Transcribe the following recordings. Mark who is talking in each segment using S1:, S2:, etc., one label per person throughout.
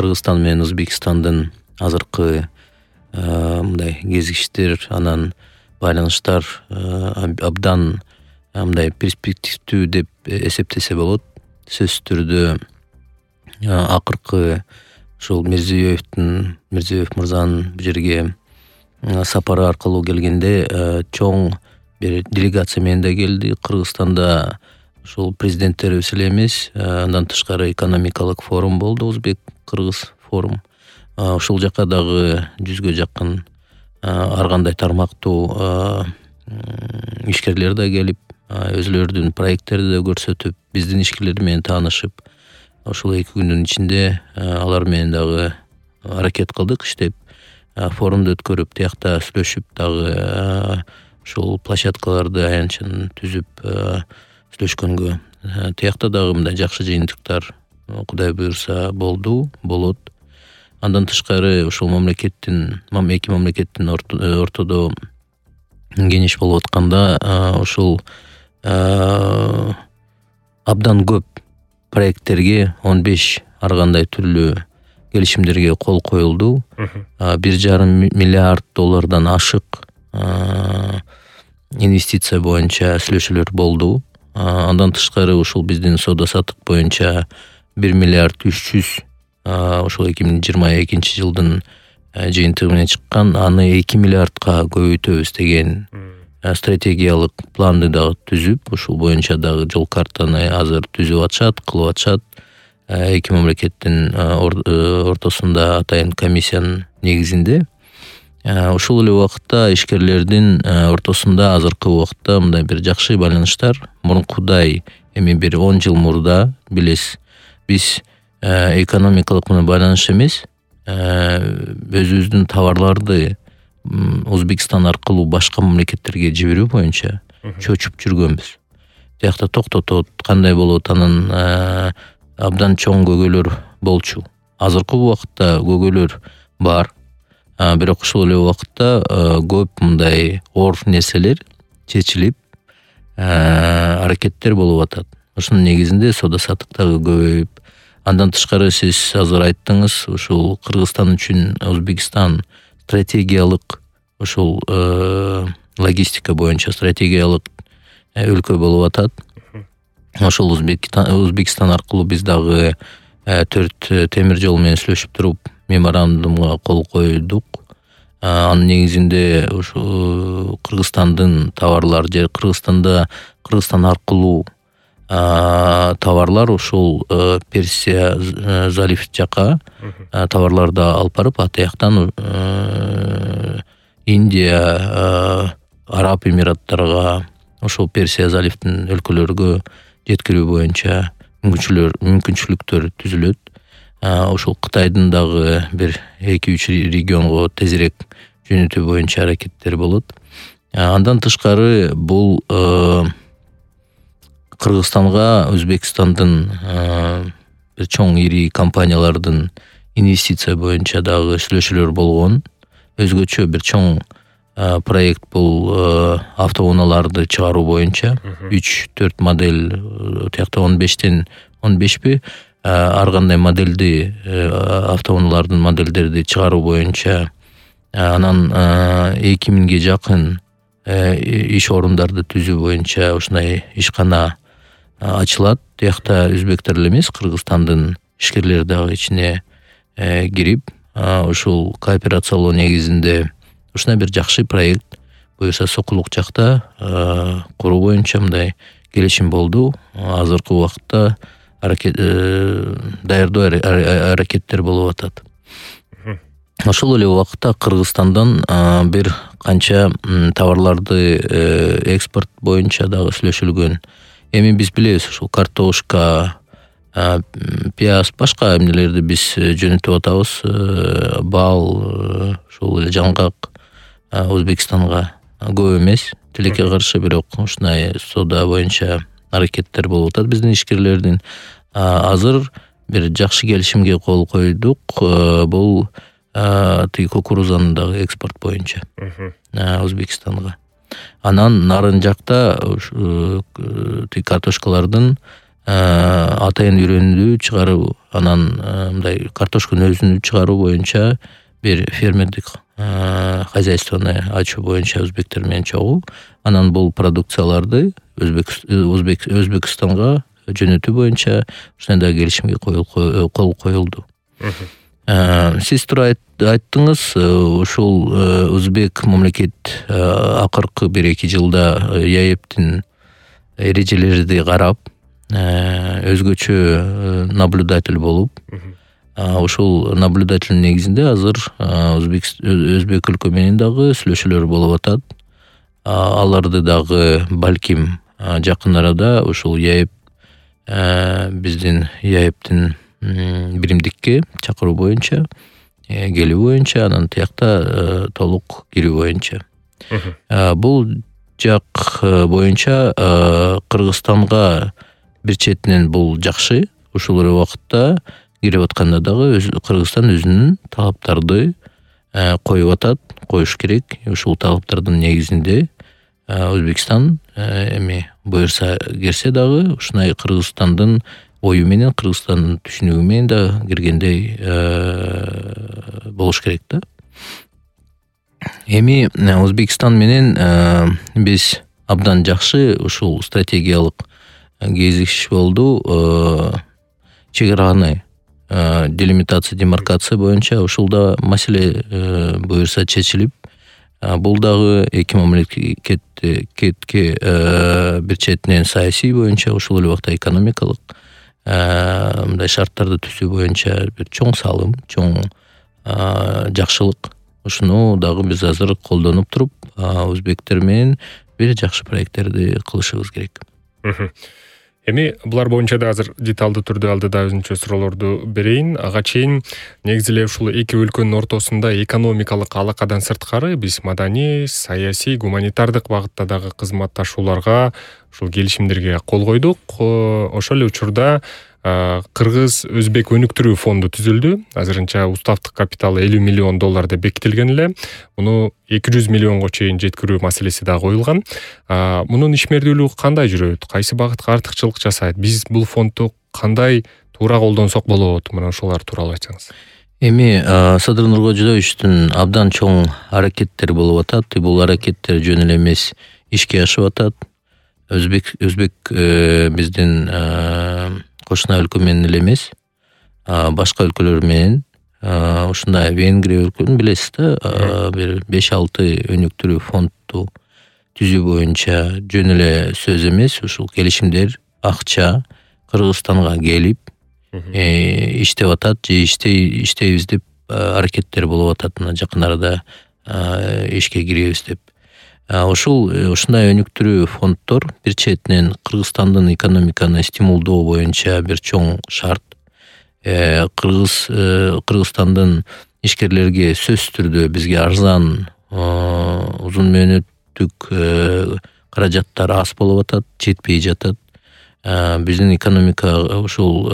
S1: Кыргызстан менен Өзбекстандын азыркы мындай кезиштер, анан байланыштар абдан мындай перспективдүү деп эсептесе болот. Сөзсүз түрдө акыркы ушул Мирзиёев мырзанын бул жерге сапары аркылуу келгенде чоң бир делегация менен да келди. Кыргызстанда ушул президенттерибиз эле эмес, андан тышкары экономикалык форум болду, Өзбек-Кыргыз форум. Ушул жака дагы 100гө жакын ар кандай тармактуу ишкерлер да келип, өзлөрүнүн проекттерди да көрсөтүп, биздин ишкерлер менен таанышып, ушул 2 күндүн ичинде алар менен дагы аракет кылдык иштеп, форумду өткөрүп, тиякта сүйлөшүп, дагы ушул площадкаларды аянтчаны түзүп сүйлөшкөнгө, тиякта дагы мындай жакшы жыйынтыктар Кудай буйрса болот. Андан тышкары ушул эки мамлекеттин ортодо кеңеш болуп атканда ушул абдан көп проекттерге 15 ар кандай түрлүү келишимдерге кол коюлду. 1,5 миллиард доллардан ашык инвестиция боюнча сүйлөшүүлөр болду. Андан тышкары ушул биздин соода саттык боюнча 1 миллиард 300 ушул 2022 жылдын жыйынтыгы менен чыккан, аны 2 миллиардка көбөйтөбүз деген стратегиялык планды дагы түзүп, ушул боюнча дагы жол картаны азыр түзүп атышат, кылып атышат. 2 мамлекеттин ортосунда атайын комиссиянын негизинде. Ушул эле убакытта ишкерлердин ортосунда азыркы убакытта мындай бир жакшы байланыштар. Мурункудай эми бир 10 жыл мурда билесиз, биз экономикалык менен байланыш эмес, өзүбүздүн товарларды Өзбекстан аркылуу башка мамлекеттерге жиберүү боюнча чөчүп жүргөнбүз. Тиякта токтотот, кандай болот, анан абдан чоң көйгөйлөр болчу. Азыркы убакытта көйгөйлөр бар, бирок ушул эле убакытта көп мындай оор нерселер чечилип, аракеттер болуп атат. Ушунун негизинде соода саттык дагы көбөйүп, андан тышкары сиз азыр айттыңыз, ушул Кыргызстан үчүн Өзбекстан стратегиялык ушул логистика боюнча стратегиялык өлкө болуп атат. Ошол Өзбекстан аркылуу биз дагы 4 темир жол менен сүйлөшүп туруп меморандумга кол койдук. Анын негизинде ушул Кыргызстандын товарлар же Кыргызстан аркылуу товарлар ушул Персия залив жака товарларды алып барып, атыяктан Индия, Араб Эмираттарга, ошол Персия заливдин өлкөлөргө жеткирүү боюнча мүмкүнчүлүктөр түзүлөт. Ошол Кытайдын дагы бир 2-3 регионго тезирээк жөнөтүү боюнча аракеттер болот. Андан тышкары бул Кыргызстанга Өзбекстандын бир чоң ири компаниялардын инвестиция боюнча дагы сүйлөшүүлөр болгон. Өзгөчө бир чоң проект бул автоунааларды чыгаруу боюнча 3-4 модель, тиякта 15тен 15 ар кандай модельди автоунаалардын модельдерди чыгаруу боюнча, анан 2000ге жакын иш орундарды түзүү боюнча ушундай ишкана ачылат. Тиякта өзбектер эле эмес, Кыргызстандын ишкерлери дагы ичине кирип, ушул кооперациялоо негизинде ушундай бир жакшы проект буюрса Сокулук жакта куруу боюнча мындай келишим болду. Азыркы убакытта даярдоо аракеттер болуп атат. Ошол эле убакытта Кыргызстандан бир канча товарларды экспорт боюнча дагы сүйлөшүлгөн. Эми биз билебиз, ушул картошка, пияз, башка эмнелерди биз жөнөтүп атабыз. Бал, ушул эле жаңгак Өзбекстанга көп эмес, тилекке каршы, бирок ушундай соода боюнча аракеттер болуп атат биздин ишкерлердин. Азыр бир жакшы келишимге кол койдук. Бул тиги кукурузанын дагы экспорт боюнча Өзбекстанга. Анан нарын жакта тиги картошкалардын атайын үрөндү чыгаруу, анан мындай картошканын өзүн чыгаруу боюнча бир фермердик хозяйствону ачуу боюнча өзбектер менен чогуу. Анан бул продукцияларды Өзбекстанга жөнөтүү боюнча ушундай келишимге кол коюлду. Сиз туура айттыңыз, ушул өзбек мамлекет акыркы 1-2 жылда ЯЭПтин эрежелерди карап, өзгөчө наблюдатель болуп, ушул наблюдатель негизинде азыр өзбек өлкө менен дагы сүйлөшүүлөр болуп атат. Аларды дагы балким жакын арада ушул ЯЭП биздин ЯЭПтин биримдикке чакыруу боюнча, келүү боюнча, анан тиякта толук кирүү боюнча. Бул жак боюнча Кыргызстанга бир четинен бул жакшы. Ушул эле убакытта кирип атканда дагы Кыргызстан өзүнүн талаптарды коюп атат, коюш керек. Ушул талаптардын негизинде Өзбекстан эми буюрса кирсе дагы ушундай Кыргызстандын ою менен, Кыргызстандын түшүнүгү менен да киргендей болуш керек да. Эми Өзбекстан менен биз абдан жакшы ушул стратегиялык кезишиш болду. Чек араны делимитация, демаркация боюнча ушулда маселе буюрса чечилип, бул дагы эки мамлекетке бир четинен саясий боюнча, ушул эле убакта экономикалык мындай шарттарды түзүү боюнча бир чоң салым, чоң жакшылык. Ушуну дагы биз азыр колдонуп туруп, өзбектер менен бир жакшы проекттерди кылышыбыз керек.
S2: Эми булар боюнча да азыр деталдуу түрдө алдыда өзүнчө суроолорду берейин. Ага чейин негизи эле ушул эки өлкөнүн ортосунда экономикалык алакадан сырткары биз маданий, саясий, гуманитардык багытта дагы кызматташууларга, ушул келишимдерге кол койдук. Ошол эле учурда Кыргыз-Өзбек өнүктүрүү фонду түзүлдү. Азырынча уставдык капиталы $50 миллион деп бекитилген эле. Муну 200 миллионго чейин жеткирүү маселеси да коюлган. Мунун ишмердүүлүгү кандай жүрөт? Кайсы багытка артыкчылык жасайт? Биз бул фондду кандай туура колдонсок болот? Мына ошолар тууралуу айтсаңыз.
S1: Эми Садыр Нуркожоевичтин абдан чоң аракеттери болуп атат. Бул аракеттер жөн эле эмес, ишке ашып атат. Өзбек биздин кошуна өлкө менен эле эмес, башка өлкөлөр менен, ушундай Венгрия өлкөнүн билесиз да, бир 5-6 өнүктүрүү фондду түзүү боюнча жөн эле сөз эмес, ушул келишимдер акча Кыргызстанга келип иштеп атат, же иштейбиз деп аракеттер болуп атат. Жакын арада ишке киребиз деп. Ушундай өнүктүрүү фонддор бир четинен Кыргызстандын экономиканы стимулдоо боюнча бир чоң шарт. Кыргызстандын ишкерлерге сөзсүз түрдө бизге арзан, узун мөөнөттүк каражаттар аз болуп атат, жетпей жатат. Биздин экономика ушул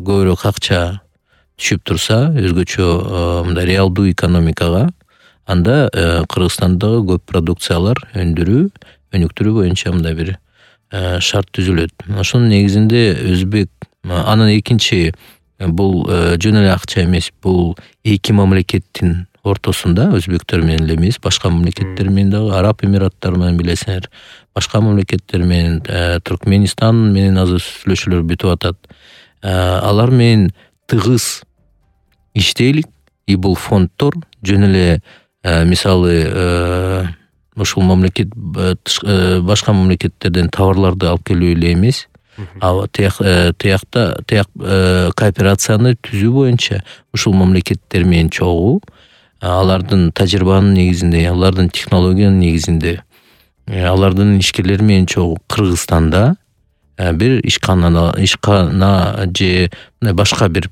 S1: көбүрөөк акча түшүп турса, өзгөчө мындай реалдуу экономикага, анда Кыргызстандагы көп продукциялар өнүктүрүү боюнча мындай бир шарт түзүлөт. Ошонун негизинде Өзбек, анан экинчи, бул жөн эле акча эмес, бул эки мамлекеттин ортосунда, өзбектер менен эле эмес, башка мамлекеттер менен дагы, Араб Эмираттары менен билесиңер, башка мамлекеттер менен, Түркменистан менен азыр сүйлөшүүлөр бүтүп атат. Алар менен тыгыз иштейлик, и бул фонддор жөн эле мисалы ушул мамлекет башка мамлекеттерден товарларды алып келүү эле эмес, тиякта кооперацияны түзүү боюнча ушул мамлекеттер менен чогуу, алардын тажрыйбанын негизинде, алардын технологиянын негизинде, алардын ишкерлери менен чогуу Кыргызстанда бир ишкана же башка бир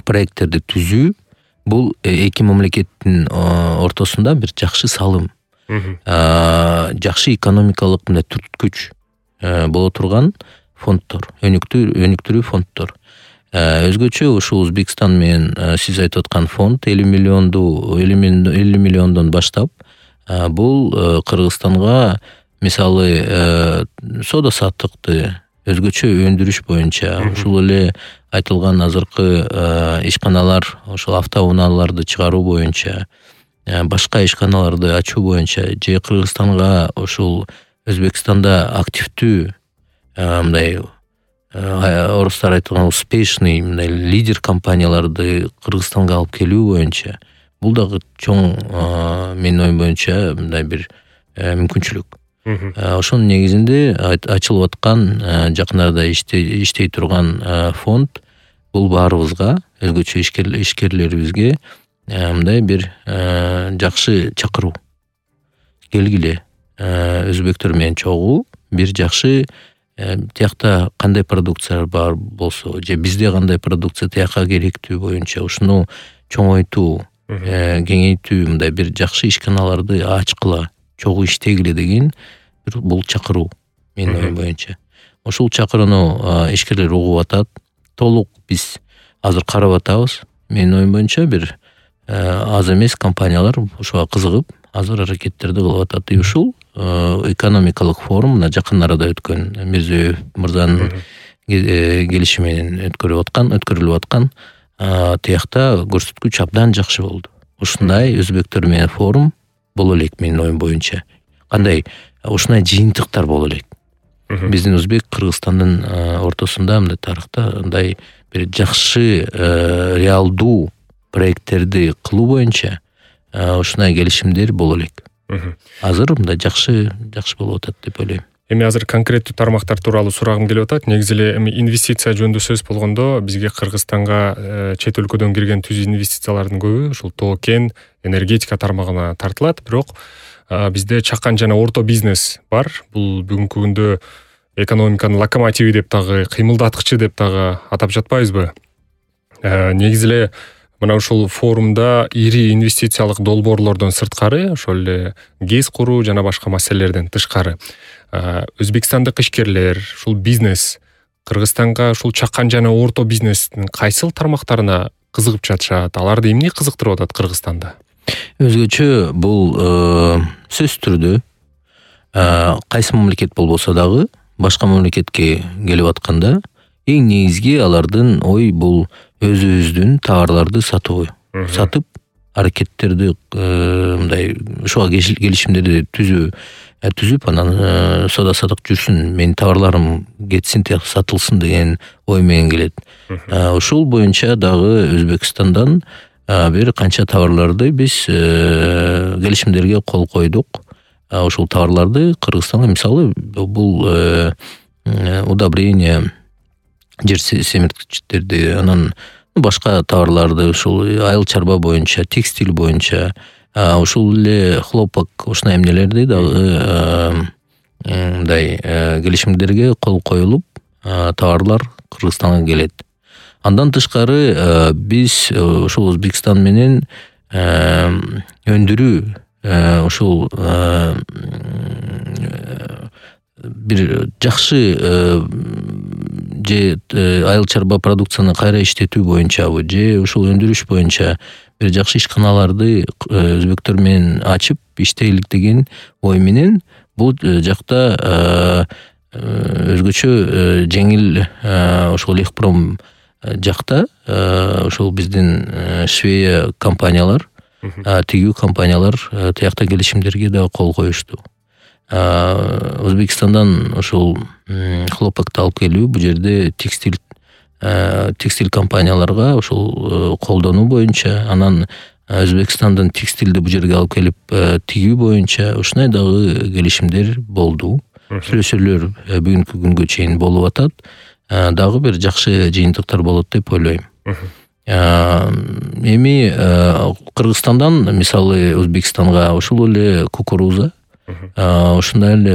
S1: проекттерди түзүү, бул эки мамлекеттин ортосунда бир жакшы салым, жакшы экономикалык мындай түрткүч боло турган фонддор, өнүктүрүү фонддор. Өзгөчө ушул Өзбекстан менен сиз айтып аткан фонд 50 миллиондон баштап, бул Кыргызстанга мисалы соода саттыкты өзгөчө өндүрүш боюнча ушул эле айтылган азыркы ишканалар, ошол автоунааларды чыгаруу боюнча, башка ишканаларды ачуу боюнча же Кыргызстанга ушул Өзбекстанда активдүү мындай орустар айтылган успешный мындай лидер компанияларды Кыргызстанга алып келүү боюнча бул дагы чоң менин оюм боюнча мындай бир мүмкүнчүлүк. Ошонун негизинде ачылып аткан жакынарда иштей турган фонд бул баарыбызга, өзгөчө ишкерлерибизге мындай бир жакшы чакыруу. Келгиле, өзбектөр менен чогуу бир жакшы тиякта кандай продукциялар бар болсо же бизде кандай продукция тиякка керектүү боюнча ушуну чоңойтуу, кеңейтүү, мындай бир жакшы ишканаларды ачкыла, чогуу иштегиле деген бул чакыруу менин оюм боюнча. Ушул чакырууну ишкерлер угуп атат. Толук биз азыр карап атабыз. Менин оюм боюнча бир аз эмес компаниялар ушуга кызыгып, азыр аракеттерди кылып атат. Ушул экономикалык форум мына жакын арада өткөн Мирзиёев мырзанын келиши менен өткөрүлүп аткан тиякта көрсөткүч абдан жакшы болду. Ушундай өзбектөр менен форум боло элек менин оюм боюнча. Кандай ушундай жыйынтыктар боло элек. Биздин Өзбек Кыргызстандын ортосунда мындай тарыхта мындай бир жакшы реалдуу проекттерди кылуу боюнча ушундай келишимдер боло элек. Азыр мындай жакшы болуп атат деп ойлойм.
S2: Эми азыр конкреттүү тармактар тууралуу сурагым келип атат. Негизи эле эми инвестиция жөнүндө сөз болгондо бизге Кыргызстанга чет өлкөдөн кирген түз инвестициялардын көбү ушул тоо-кен, энергетика тармагына тартылат. Бирок бизде чакан жана орто бизнес бар. Бул бүгүнкү күндө экономиканын локомотиви деп дагы, кыймылдаткычы деп дагы атап жатпайбызбы? Негизи эле мына ушул форумда ири инвестициялык долбоорлордон сырткары, ошол эле ГЭС куруу жана башка маселелерден тышкары өзбекстандык ишкерлер, ушул бизнес Кыргызстанга ушул чакан жана орто бизнестин кайсыл тармактарына кызыгып жатышат? Аларды эмне кызыктырып атат Кыргызстанда?
S1: Өзгөчө бул сөзсүз түрдө кайсы мамлекет болбосо дагы башка мамлекетке келип атканда эң негизги алардын ой бул өзүбүздүн товарларды сатып аракеттерди мындай ушуга келишимдерди түзүп анан соода саттык жүрсүн, менин товарларым кетсин, сатылсын деген ой менен келет. Ушул боюнча дагы Өзбекстандан бир канча товарларды биз келишимдерге кол койдук. Ушул товарларды Кыргызстанга, мисалы, бул удобрение, жер семирткичтерди, анан башка товарларды, ушул айыл чарба боюнча, текстиль боюнча, ушул эле хлопок, ушундай эмнелерди дагы мындай келишимдерге кол коюлуп, товарлар Кыргызстанга келет. Андан тышкары биз ушул Өзбекстан менен өндүрүү ушул бир жакшы же айыл чарба продукцияны кайра иштетүү боюнчабы, же ушул өндүрүш боюнча бир жакшы ишканаларды өзбектөр менен ачып иштейлик деген ой менен бул жакта өзгөчө жеңил ошол Лехпром жакта ошол биздин Швея компаниялар, тигүү компаниялар тиякта келишимдерге да кол коюшту. Өзбекстандан ошол хлопокты алып келүү, бул жерде текстиль компанияларга ошол колдонуу боюнча, анан Өзбекстандын текстилди бул жерге алып келип тигүү боюнча ушундай дагы келишимдер болду. Сүйлөшүүлөр бүгүнкү күнгө чейин болуп атат. Дагы бир жакшы жыйынтыктар болот деп ойлойм. Эми Кыргызстандан мисалы Өзбекстанга ушул эле кукуруза, ушундай эле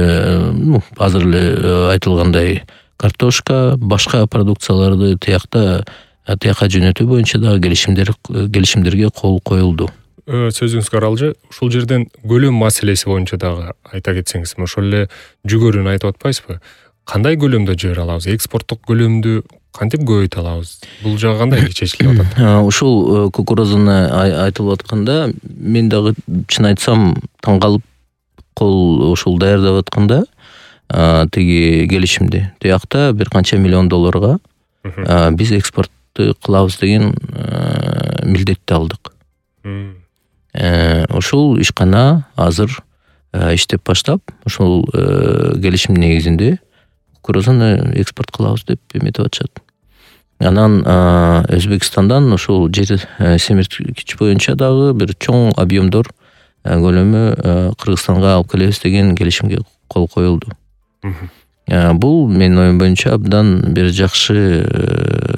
S1: азыр эле айтылгандай картошка, башка продукцияларды тиякка жөнөтүү боюнча дагы келишимдерге кол коюлду.
S2: Сөзүңүзгө аралжы, ушул жерден көлөм маселеси боюнча дагы айта кетсеңиз, ошол эле жүгөрүн айтып атпайсызбы? Кандай көлөмдө жибере алабыз? Экспорттук көлөмдү кантип көбөйтө алабыз? Бул жагы кандай чечилип атат?
S1: Ушул кукурузаны айтылып атканда, мен дагы чын айтсам таң калып, кол ушул даярдап атканда тиги келишимди. Тиякта бир канча миллион долларга биз экспортту кылабыз деген милдетти алдык. Ошол ишкана азыр иштеп баштап, ошол келишим негизинде кукурузаны экспорт кылабыз деп эметип атышат. Анан Өзбекстандан ошол жер семирткич боюнча дагы бир чоң объемдор көлөмү Кыргызстанга алып келебиз деген келишимге кол коюлду. Бул менин оюм боюнча абдан бир жакшы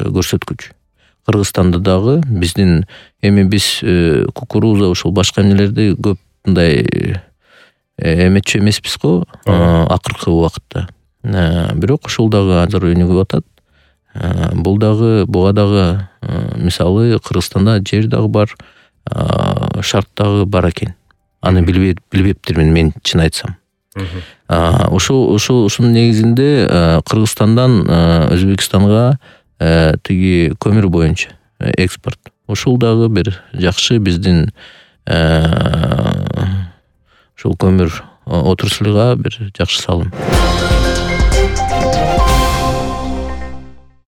S1: көрсөткүч. Кыргызстанда дагы биздин биз кукуруза ошол башка эмнелерди көп мындай эметчү эмеспиз го акыркы убакытта. Бирок ошол дагы азыр өнүгүп атат. Буга дагы мисалы Кыргызстанда жер дагы бар, шарт дагы бар экен. Аны билбептирмин мен чын айтсам. Ошонун негизинде Кыргызстандан Өзбекстанга тиги көмүр боюнча экспорт. Ошол дагы бир жакшы биздин ошол көмүр отраслыга бир жакшы салым.